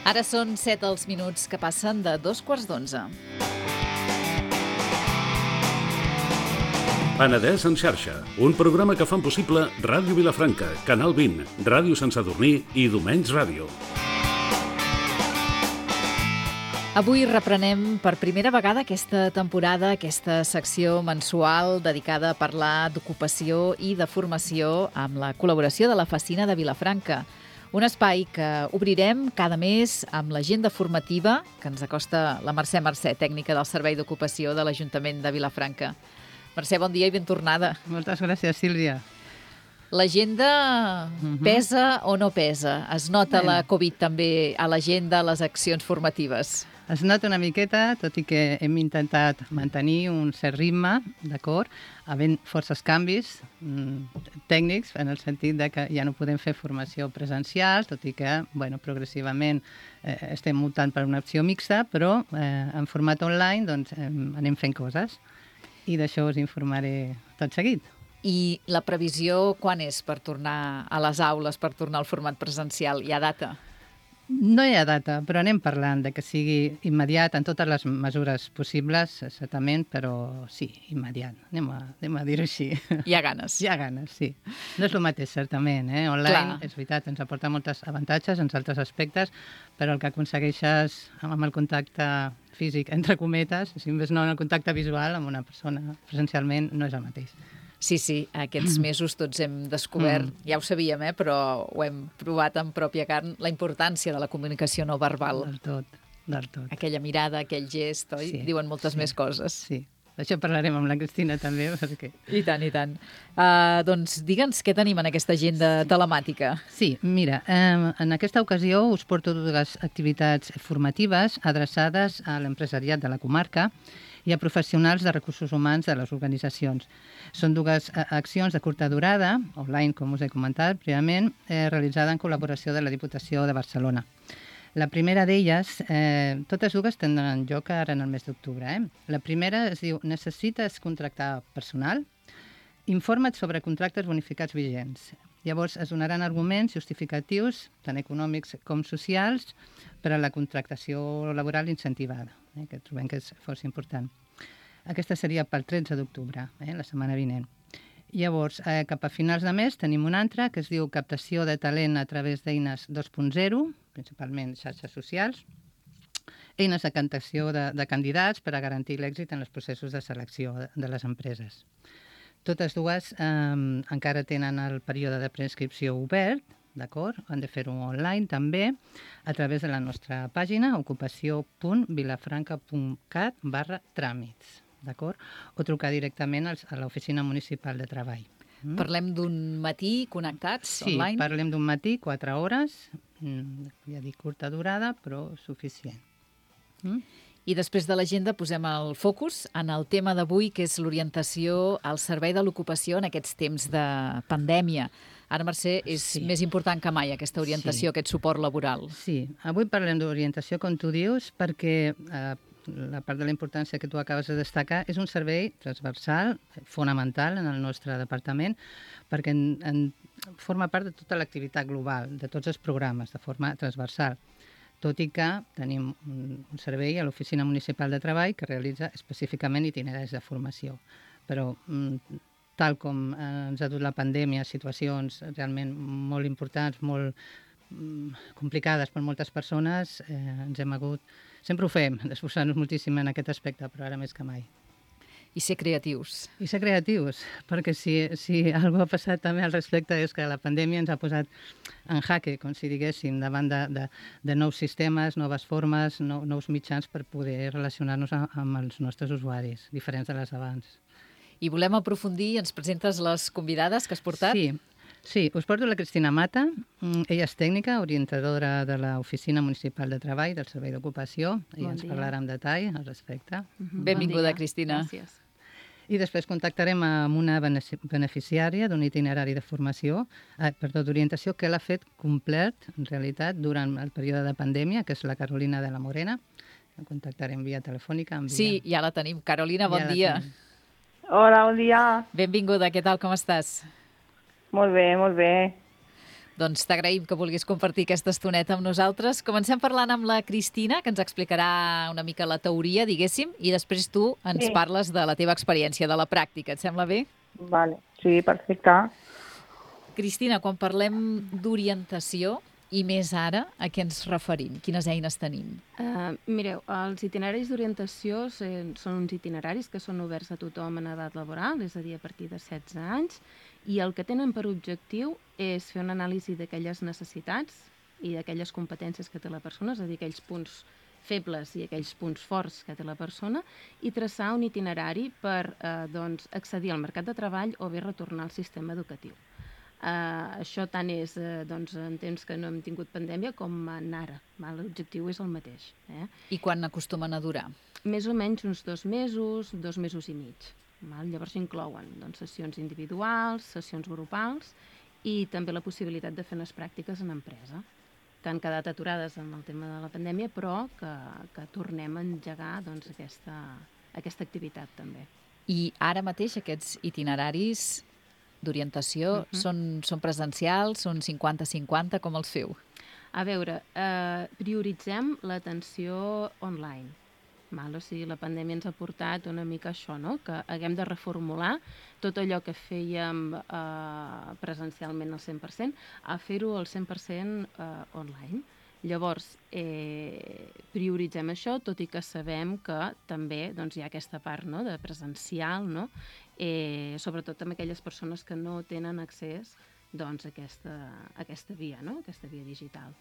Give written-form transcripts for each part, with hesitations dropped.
Ara són 7 els minuts que passen de 2:15. Penedès en xarxa, un programa que fan possible Ràdio Vilafranca, Canal 20, Ràdio Sant Sadurní i Domenys Ràdio. Avui reprenem per primera vegada aquesta temporada, aquesta secció mensual dedicada a parlar d'ocupació i de formació amb la col·laboració de la Facina de Vilafranca. Un espai que obrirem cada mes amb l'agenda formativa que ens acosta la Mercè, tècnica del Servei d'Ocupació de l'Ajuntament de Vilafranca. Mercè, bon dia i ben tornada. Moltes gràcies, Sílvia. L'agenda pesa o no pesa? Es nota la Covid també a l'agenda, a les accions formatives? Es nota una miqueta, tot i que hem intentat mantenir un cert ritme, d'acord, havent forces canvis tècnics, en el sentit de que ja no podem fer formació presencial, tot i que, progressivament estem mutant per una opció mixta, però en format online doncs, anem fent coses i d'això us informaré tot seguit. I la previsió quan és per tornar a les aules, per tornar al format presencial? Hi ha data? No hi ha data, però anem parlant de que sigui immediat en totes les mesures possibles, certament, però sí, immediat. Anem a dir-ho així. Hi ha ganes. Hi ha ganes, sí. No és el mateix, certament. Online, és veritat, ens aporta molts avantatges en altres aspectes, però el que aconsegueixes amb el contacte físic, entre cometes, si més no en el contacte visual amb una persona presencialment, no és el mateix. Sí, aquests mesos tots hem descobert, ja ho sabíem, però ho hem provat en pròpia carn, la importància de la comunicació no verbal. Del tot. Aquella mirada, aquell gest, oi? Diuen moltes més coses. Sí, d'això parlarem amb la Cristina també. Perquè... I tant. Doncs digue'ns què tenim en aquesta agenda telemàtica. Sí, mira, en aquesta ocasió us porto dues activitats formatives adreçades a l'empresariat de la comarca i a professionals de recursos humans de les organitzacions. Són dues accions de curta durada, online, com us he comentat prèviament, realitzada en col·laboració de la Diputació de Barcelona. La primera d'elles, totes dues tindran lloc ara en el mes d'octubre. La primera es diu Necessites contractar personal? Informa't sobre contractes bonificats vigents. Llavors es donaran arguments justificatius, tant econòmics com socials, per a la contractació laboral incentivada, que trobem que és força important. Aquesta seria pel 13 d'octubre, la setmana vinent. Llavors, cap a finals de mes tenim una altra que es diu Captació de talent a través d'eines 2.0, principalment xarxes socials, eines de captació de candidats per a garantir l'èxit en els processos de selecció de les empreses. Totes dues encara tenen el període de preinscripció obert, d'acord? Han de fer-ho online també, a través de la nostra pàgina ocupació.vilafranca.cat/tràmits, d'acord? O trucar directament a l'Oficina Municipal de Treball. Parlem d'un matí connectats online? Sí, parlem d'un matí, 4 hores, ja dic curta durada, però suficient. I després de l'agenda posem el focus en el tema d'avui, que és l'orientació al servei de l'ocupació en aquests temps de pandèmia. Ara, Mercè, és més important que mai aquesta orientació, aquest suport laboral. Sí, avui parlem d'orientació, com tu dius, perquè la part de la importància que tu acabes de destacar és un servei transversal, fonamental en el nostre departament, perquè forma part de tota l'activitat global, de tots els programes, de forma transversal. Tot i que tenim un servei a l'Oficina Municipal de Treball que realitza específicament itineraris de formació. Però, tal com ens ha dut la pandèmia, situacions realment molt importants, molt complicades per moltes persones, ens hem hagut... Sempre ho fem, d'esforçar-nos moltíssim en aquest aspecte, però ara més que mai. I ser creatius. I ser creatius, perquè si alguna cosa ha passat també al respecte és que la pandèmia ens ha posat en jaque, com si diguéssim, davant de nous sistemes, noves formes, nous mitjans per poder relacionar-nos amb els nostres usuaris, diferents de les abans. I volem aprofundir, ens presentes les convidades que has portat? Sí, us porto la Cristina Mata. Ella és tècnica, orientadora de l'Oficina Municipal de Treball, del Servei d'Ocupació. Ella ens parlarà en detall al respecte. Benvinguda, Cristina. Gràcies. I després contactarem amb una beneficiària d'un itinerari de formació, d'orientació, que l'ha fet complet, en realitat, durant el període de pandèmia, que és la Carolina de la Morena. La contactarem via telefònica. Sí, ja la tenim. Carolina, bon dia. Hola, bon dia. Benvinguda, què tal, com estàs? Molt bé, molt bé. Doncs t'agraïm que vulguis compartir aquesta estoneta amb nosaltres. Comencem parlant amb la Cristina, que ens explicarà una mica la teoria, diguéssim, i després tu ens parles de la teva experiència, de la pràctica. Et sembla bé? Vale, sí, perfecte. Cristina, quan parlem d'orientació, i més ara, a què ens referim? Quines eines tenim? Mireu, els itineraris d'orientació són uns itineraris que són oberts a tothom en edat laboral, és a dir, a partir de 16 anys, i el que tenen per objectiu és fer una anàlisi d'aquelles necessitats i d'aquelles competències que té la persona, és a dir, aquells punts febles i aquells punts forts que té la persona, i traçar un itinerari per accedir al mercat de treball o bé retornar al sistema educatiu. Això tant és en temps que no hem tingut pandèmia com en ara. L'objectiu és el mateix. I quan acostumen a durar? Més o menys uns 2 mesos, 2 mesos i mig. Llavors inclouen sessions individuals, sessions grupals i també la possibilitat de fer unes pràctiques en empresa, que han quedat aturades amb el tema de la pandèmia, però que tornem a engegar aquesta activitat també. I ara mateix aquests itineraris d'orientació són presencials, són 50-50, com els feu? A veure, prioritzem l'atenció online. O sigui, la pandèmia ens ha portat una mica això, no? Que haguem de reformular tot allò que fèiem presencialment al 100%, a fer-ho al 100% online. Llavors, prioritzem això, tot i que sabem que també hi ha aquesta part de presencial, sobretot amb aquelles persones que no tenen accés a aquesta via, aquesta via digital.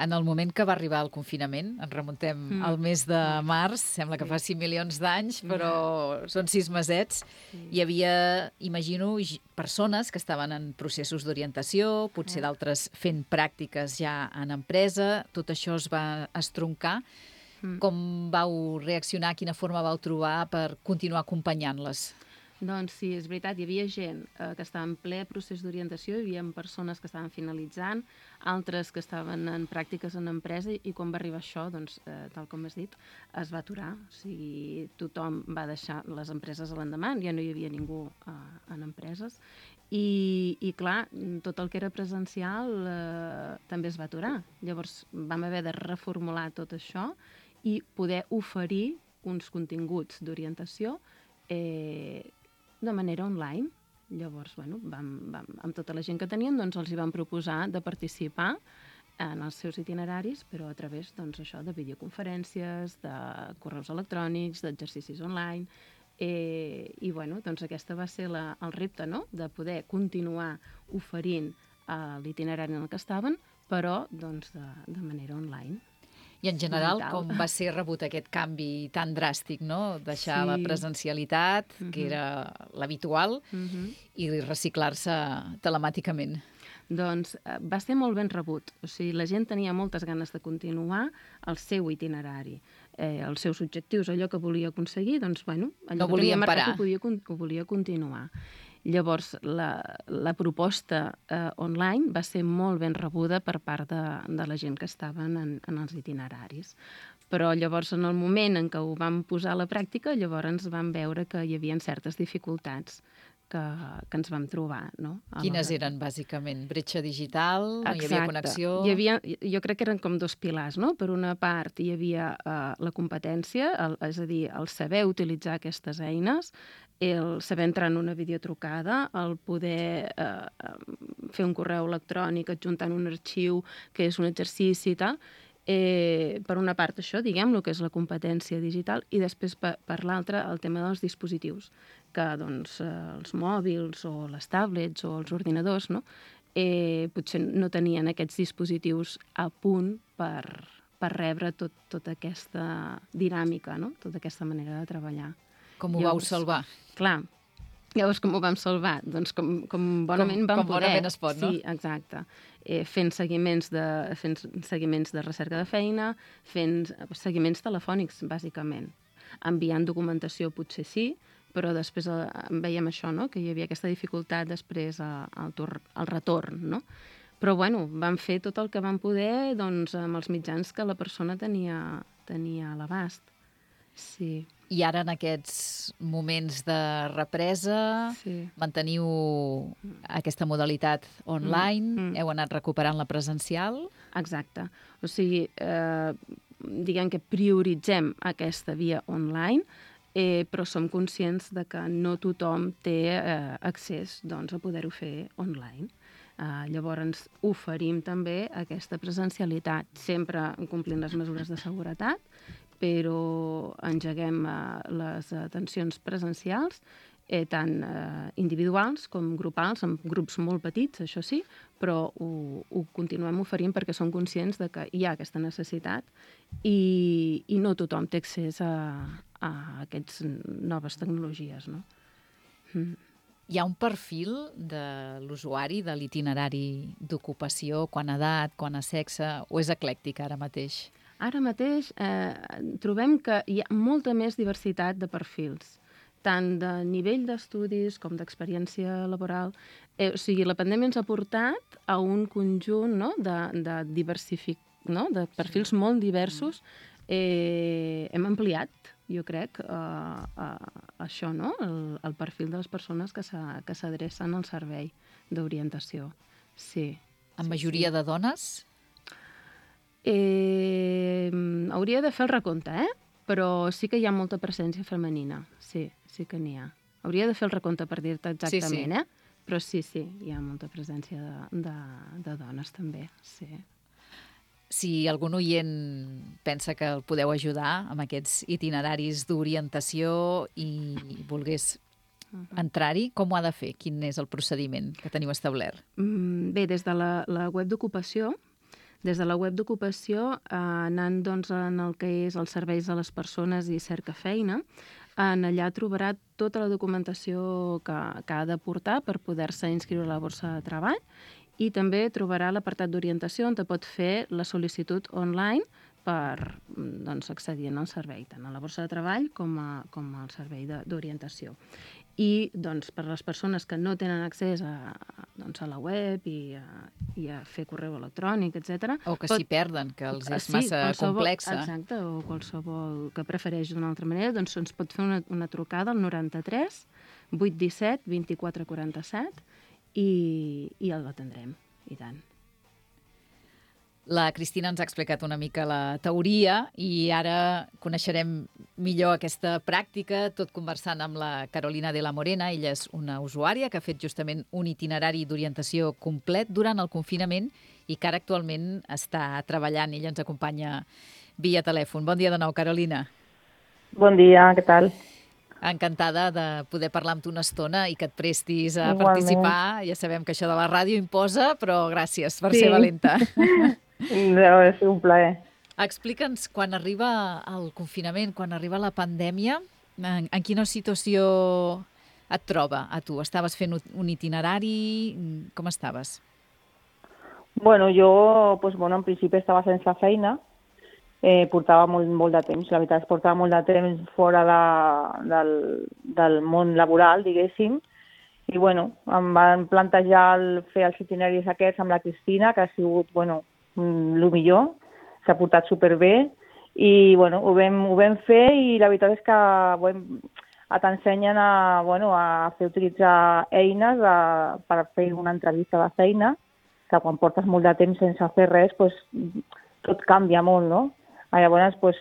En el moment que va arribar el confinament, ens remuntem al mes de març, sembla que fa 5 milions d'anys, però són 6 mesets, hi havia, imagino, persones que estaven en processos d'orientació, potser d'altres fent pràctiques ja en empresa, tot això es va estroncar. Com vau reaccionar, quina forma vau trobar per continuar acompanyant-les? Doncs sí, és veritat, hi havia gent que estava en ple procés d'orientació, hi havia persones que estaven finalitzant, altres que estaven en pràctiques en empresa, i quan va arribar això, tal com has dit, es va aturar. O sigui, tothom va deixar les empreses a l'endemà, ja no hi havia ningú en empreses, i clar, tot el que era presencial també es va aturar. Llavors vam haver de reformular tot això i poder oferir uns continguts d'orientació de manera online. Llavors, amb tota la gent que teníem, els hi vam proposar de participar en els seus itineraris, però a través de videoconferències, de correus electrònics, d'exercicis online, i aquesta va ser el repte, de poder continuar oferint l'itinerari en el que estaven, però de manera online. I en general, com va ser rebut aquest canvi tan dràstic, no? Deixar la presencialitat, que era l'habitual, i reciclar-se telemàticament? Doncs va ser molt ben rebut. O sigui, la gent tenia moltes ganes de continuar el seu itinerari, els seus objectius, allò que volia aconseguir, allò no volien parar. Ho volia continuar. Llavors, la proposta online va ser molt ben rebuda per part de la gent que estaven en els itineraris. Però llavors, en el moment en què ho vam posar a la pràctica, llavors vam veure que hi havia certes dificultats que ens vam trobar. Quines eren, bàsicament? Bretxa digital? No hi havia connexió? Jo crec que eren com 2 pilars. Per una part, hi havia la competència, és a dir, el saber utilitzar aquestes eines, el saber entrar en una videotrucada, el poder fer un correu electrònic adjuntant un arxiu que és un exercici i tal. Per una part això, diguem-lo, que és la competència digital, i després per l'altra el tema dels dispositius, que els mòbils o les tablets o els ordinadors potser no tenien aquests dispositius a punt per rebre tota aquesta dinàmica, tota aquesta manera de treballar. Com ho vau salvar? Clar, llavors com ho vam salvar? Doncs com bonament vam poder. Com bonament es pot, no? Sí, exacte. Fent seguiments de recerca de feina, fent seguiments telefònics, bàsicament. Enviant documentació potser sí, però després veiem això, que hi havia aquesta dificultat després al retorn, Però, vam fer tot el que vam poder amb els mitjans que la persona tenia a l'abast. Sí. I ara, en aquests moments de represa, manteniu aquesta modalitat online, heu anat recuperant la presencial? Exacte. O sigui, diguem que prioritzem aquesta via online, però som conscients de que no tothom té accés a poder-ho fer online. Llavors, oferim també aquesta presencialitat, sempre complint les mesures de seguretat, però engeguem les atencions presencials, tant individuals com grupals, amb grups molt petits, això sí, però ho continuem oferint perquè som conscients de que hi ha aquesta necessitat i no tothom té accés a aquestes noves tecnologies, no? Hi ha un perfil de l'usuari, de l'itinerari d'ocupació, quant a edat, quant a sexe, o és eclèctic ara mateix? Ara mateix trobem que hi ha molta més diversitat de perfils, tant de nivell d'estudis com d'experiència laboral. O sigui, la pandèmia ens ha portat a un conjunt de perfils molt diversos. Hem ampliat, jo crec, això, no? El perfil de les persones que s'adrecen al servei d'orientació. Sí. En majoria de dones? Hauria de fer el recompte, però sí que hi ha molta presència femenina. Sí que n'hi ha. Hauria de fer el recompte per dir-te exactament, però sí, hi ha molta presència de dones també, sí. Si algun oient pensa que el podeu ajudar amb aquests itineraris d'orientació i volgués entrar-hi, com ho ha de fer? Quin és el procediment que teniu establert? Bé, des de la web d'ocupació, anant en el que és els serveis a les persones i cerca feina, allà trobarà tota la documentació que ha de portar per poder-se inscriure a la borsa de treball i també trobarà l'apartat d'orientació on pot fer la sol·licitud online per accedir al servei, tant a la borsa de treball com al servei d'orientació. I per les persones que no tenen accés a la web i a fer correu electrònic, etc. O que s'hi perden, que els és massa complexa. Exacte, o qualsevol que prefereix d'una altra manera, doncs ens pot fer una trucada al 93 817 24 47 i l'atendrem, i tant. La Cristina ens ha explicat una mica la teoria i ara coneixerem millor aquesta pràctica, tot conversant amb la Carolina de la Morena. Ella és una usuària que ha fet justament un itinerari d'orientació complet durant el confinament i que ara actualment està treballant. Ella ens acompanya via telèfon. Bon dia de nou, Carolina. Bon dia, què tal? Encantada de poder parlar amb tu una estona i que et prestis a participar. Ja sabem que això de la ràdio imposa, però gràcies per ser valenta. Deu ser un plaer. Explica'ns, quan arriba el confinament, quan arriba la pandèmia, en quina situació et troba a tu? Estaves fent un itinerari? Com estaves? Bueno, jo, en principi estava sense feina. Portava molt de temps, la veritat, portava molt de temps fora del món laboral, diguéssim. I, em van plantejar fer els itineraris aquests amb la Cristina, que ha sigut, el millor, s'ha portat superbé i ho vam fer i la veritat és que t'ensenyen a utilitzar eines per fer una entrevista de feina, que quan portes molt de temps sense fer res, tot canvia molt, no? Llavors ho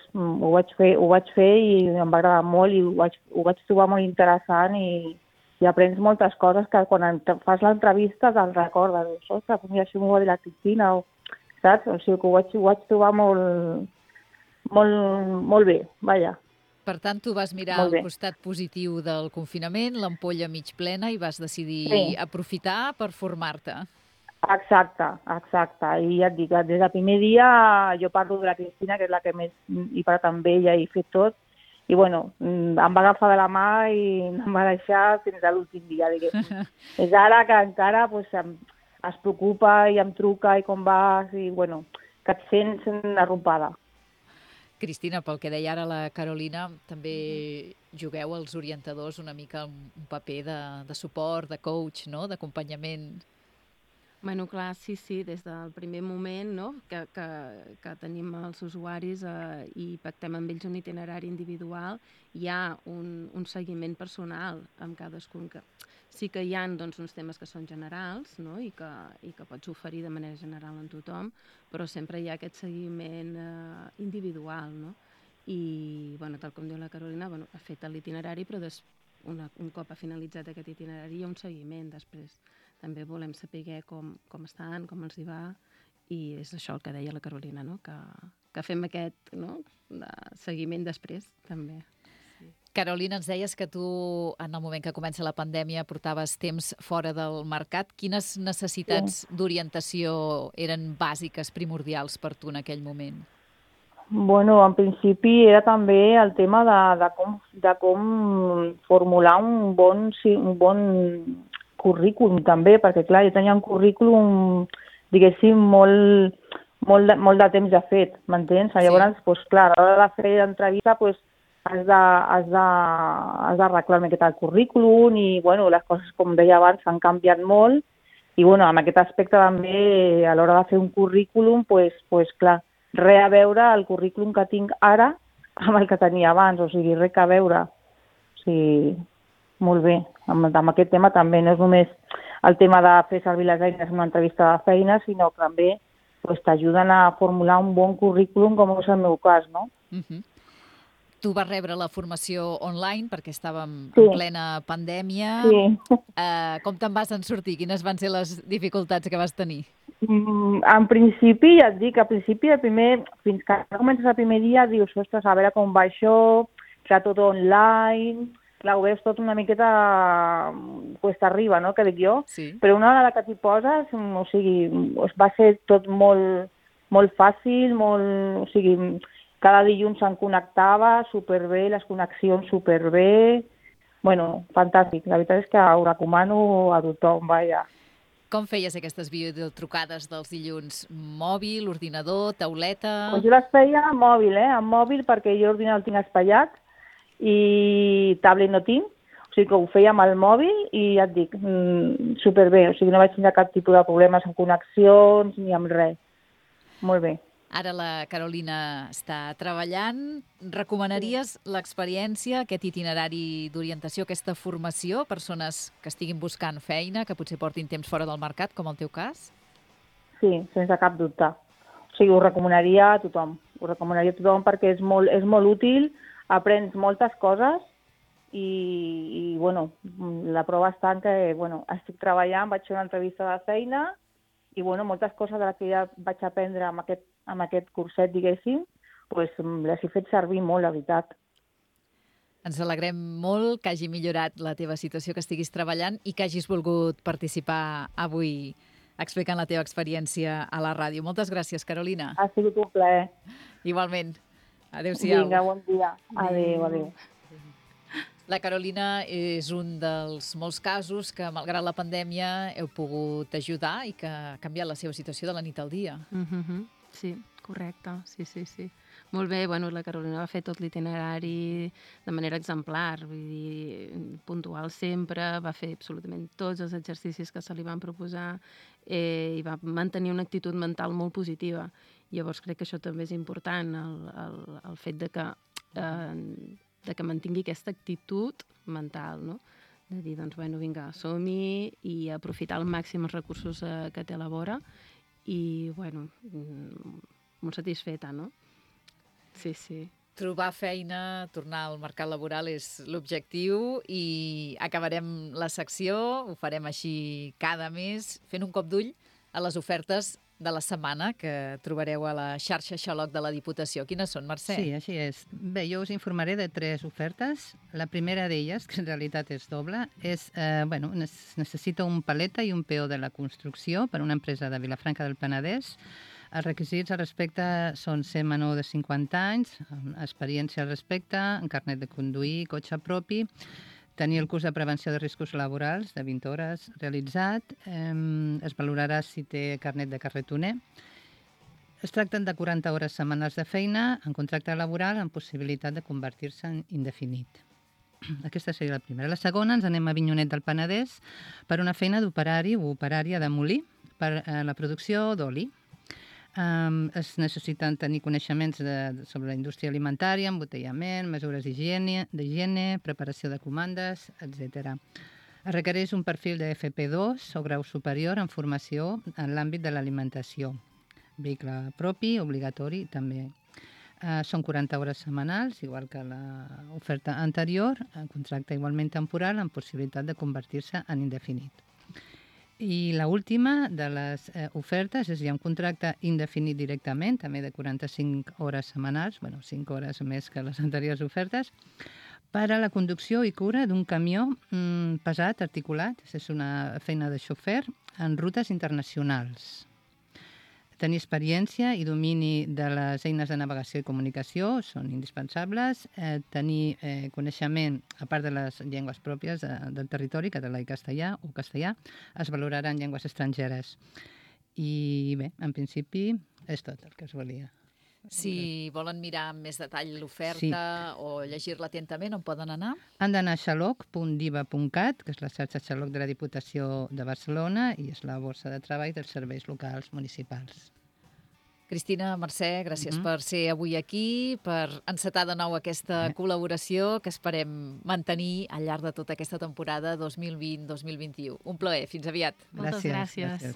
vaig fer i em va agradar molt i ho vaig trobar molt interessant i aprens moltes coses que quan fas l'entrevista te'n recordes. Ostres, mira, això m'ho va dir la Cristina, saps? O sigui que ho vaig trobar molt bé, vaja. Per tant, tu vas mirar el costat positiu del confinament, l'ampolla mig plena, i vas decidir aprofitar per formar-te. Exacte. I ja et dic, des del primer dia jo parlo de la Cristina, que és la que més he parlat amb ella i fet tot, i em va agafar de la mà i em va deixar fins a l'últim dia, diguéssim. És ara que encara es preocupa i em truca i com vas, i que et sents arropada. Cristina, pel que deia ara la Carolina, també jugueu els orientadors una mica un paper de suport, de coach, no? D'acompanyament. Bueno, clar, sí, des del primer moment, no?, que tenim els usuaris i pactem amb ells un itinerari individual, hi ha un seguiment personal amb cadascun. Sí que hi ha doncs, uns temes que són generals, no?, i que pots oferir de manera general en tothom, però sempre hi ha aquest seguiment individual, no? I, bueno, tal com diu la Carolina, bueno, ha fet l'itinerari, però un cop ha finalitzat aquest itinerari hi ha un seguiment després. També volem saber com estan, com els hi va, i és això el que deia la Carolina, no?, que fem aquest, no?, de seguiment després, també. Sí. Carolina, ens deies que tu, en el moment que comença la pandèmia, portaves temps fora del mercat. Quines necessitats d'orientació eren bàsiques, primordials per tu en aquell moment? Bueno, en principi era també el tema de com formular un bon currículum també, perquè clar, jo tenia un currículum, diguéssim, molt de temps ja fet, m'entens? Sí. Llavors, doncs, clar, a l'hora de fer l'entrevista, doncs, has d'arreglar una miqueta el currículum i, bueno, les coses, com deia abans, han canviat molt i, bueno, en aquest aspecte també, a l'hora de fer un currículum, doncs, clar, res a veure el currículum que tinc ara amb el que tenia abans, o sigui, res a veure. O sigui, molt bé. Amb aquest tema també no és només el tema de fer servir les eines en una entrevista de feina, sinó que també t'ajuden a formular un bon currículum, com és el meu cas, no? Tu vas rebre la formació online perquè estàvem en plena pandèmia. Sí. Com te'n vas en sortir? Quines van ser les dificultats que vas tenir? En principi, ja et dic, fins que comences el primer dia, dius, ostres, a veure com va això, serà tot online, clar, ho veus tot una miqueta cuesta arriba, no?, que dic jo, sí. Però una vegada que t'hi poses, o sigui, va ser tot molt fàcil, o sigui, cada dilluns se'n connectava superbé, les connexions superbé, bueno, fantàstic, la veritat és que ho recomano a tothom, vaja. Com feies aquestes videotrucades dels dilluns? Mòbil, ordinador, tauleta? Pues jo les feia amb mòbil, amb mòbil, perquè jo ordinador el tinc espatllat i tablet no tinc, o sigui que ho feia amb el mòbil i ja et dic, superbé, o sigui no vaig tenir cap tipus de problemes amb connexions ni amb res. Molt bé. Ara la Carolina està treballant. Recomanaries l'experiència, aquest itinerari d'orientació, aquesta formació a persones que estiguin buscant feina, que potser portin temps fora del mercat, com el teu cas? Sí, sense cap dubte. O sigui, ho recomanaria a tothom. Ho recomanaria a tothom perquè és molt útil, aprens moltes coses i bueno, la prova està en que, bueno, estic treballant, vaig fer una entrevista de feina i, bueno, moltes coses de les que ja vaig aprendre amb aquest curset, diguéssim, doncs les he fet servir molt, la veritat. Ens alegrem molt que hagi millorat la teva situació, que estiguis treballant i que hagis volgut participar avui explicant la teva experiència a la ràdio. Moltes gràcies, Carolina. Ha sigut un plaer. Igualment. Adéu-siau. Vinga, bon dia. Adéu. La Carolina és un dels molts casos que, malgrat la pandèmia, heu pogut ajudar i que ha canviat la seva situació de la nit al dia. Sí, correcte. Sí. Molt bé, bueno, la Carolina va fer tot l'itinerari de manera exemplar, vull dir, puntual sempre, va fer absolutament tots els exercicis que se li van proposar i va mantenir una actitud mental molt positiva. Llavors crec que això també és important, el fet de que mantingui aquesta actitud mental, no? De dir, doncs, bueno, vinga, som-hi i aprofitar al màxim els recursos que té a la vora i, bueno, molt satisfeta, no? Sí. Trobar feina, tornar al mercat laboral és l'objectiu i acabarem la secció, ho farem així cada mes, fent un cop d'ull a les ofertes de la setmana que trobareu a la xarxa Xaloc de la Diputació. Quines són, Mercè? Sí, així és. Bé, jo us informaré de 3 ofertes. La primera d'elles, que en realitat és doble, és, necessita un paleta i un peó de la construcció per a una empresa de Vilafranca del Penedès. Els requisits al respecte són ser menor de 50 anys, experiència al respecte, un carnet de conduir, cotxe propi, tenir el curs de prevenció de riscos laborals de 20 hores realitzat, es valorarà si té carnet de carretoner. Es tracten de 40 hores setmanals de feina en contracte laboral amb possibilitat de convertir-se en indefinit. Aquesta seria la primera. La segona, ens anem a Avinyonet del Penedès per una feina d'operari o operària de molí per la producció d'oli. Es necessiten tenir coneixements sobre la indústria alimentària, embotellament, mesures d'higiene, preparació de comandes, etc. Es requereix un perfil de FP2 o grau superior en formació en l'àmbit de l'alimentació. Vehicle propi, obligatori, també. Són 40 hores setmanals, igual que l'oferta anterior, contracte igualment temporal amb possibilitat de convertir-se en indefinit. I l'última de les ofertes és ja un contracte indefinit directament, també de 45 hores setmanals, 5 hores més que les anteriors ofertes, per a la conducció i cura d'un camió pesat, articulat, és una feina de xofer, en rutes internacionals. Tenir experiència i domini de les eines de navegació i comunicació són indispensables. Tenir coneixement, a part de les llengües pròpies del territori, català i castellà, es valoraran llengües estrangeres. I bé, en principi és tot el que es volia. Si volen mirar amb més detall l'oferta o llegir-la atentament, on poden anar? Han d'anar a xaloc.diva.cat, que és la xarxa Xaloc de la Diputació de Barcelona i és la borsa de treball dels serveis locals municipals. Cristina, Mercè, gràcies per ser avui aquí, per encetar de nou aquesta col·laboració que esperem mantenir al llarg de tota aquesta temporada 2020-2021. Un plaer, fins aviat. Moltes gràcies.